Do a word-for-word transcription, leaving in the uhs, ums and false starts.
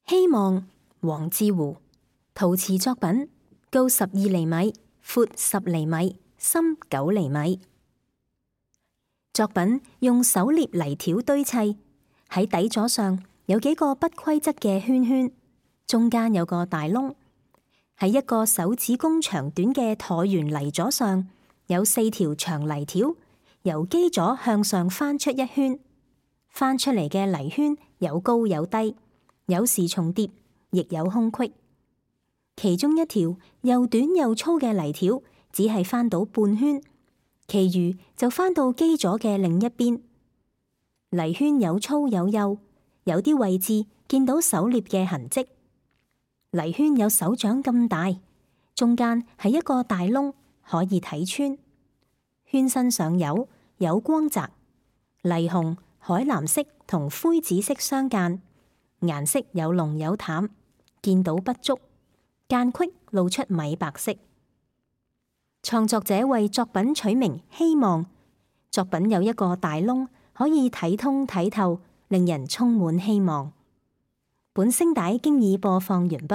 希望，黃志湖。陶瓷作品，高十二厘米，闊十厘米，深九厘米。作品用手捏泥條堆砌，喺底座上有幾個不規則嘅圈圈，中間有個大窿。喺一個手指公長短嘅橢圓泥座上，有四條長泥條，由基座向上翻出一圈。翻出嚟嘅泥圈有高有低，有時重疊，亦有空隙。其中一條又短又粗嘅泥條只係翻到半圈，其餘就翻到基座嘅另一邊。泥圈有粗有幼，有啲位置見到手捏嘅痕跡。泥圈有手掌咁大，中間係一個大窿，可以睇穿。圈身上有有光澤，泥紅、海藍色同灰紫色相間，顏色有濃有淡，見到不足，間隙露出米白色。創作者為作品取名希望，作品有一個大窿，可以睇通睇透，令人充滿希望。本聲帶經已播放完畢。